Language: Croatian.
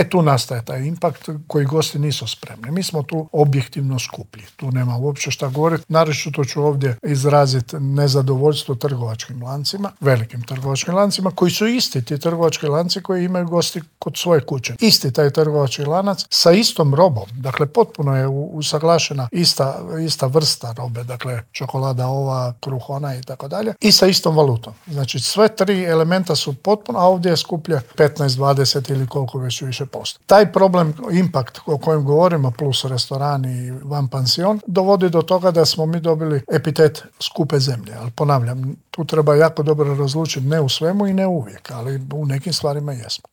Tu nastaje taj impakt koji gosti nisu spremni. Mi smo tu objektivno skuplji. Tu nema uopće šta govoriti. Naročito ću ovdje izraziti nezadovoljstvo trgovačkim lancima, velikim trgovačkim lancima, koji su isti ti trgovački lanci koji imaju gosti kod svoje kuće. Isti taj trgovački lanac sa istom robom. Dakle, potpuno je usaglašena ista vrsta robe. Dakle, čokolada ova, kruh ona i tako dalje. I sa istom valutom. Znači, sve tri elementa su potpuno, a ovdje je skuplje 15, 20 ili koliko već više posto. Taj problem, impakt o kojem govorimo, plus restoran i van pansion, dovodi do toga da smo mi dobili epitet skupe zemlje. Ali ponavljam, tu treba jako dobro razlučiti, ne u svemu i ne uvijek, ali u nekim stvarima jesmo.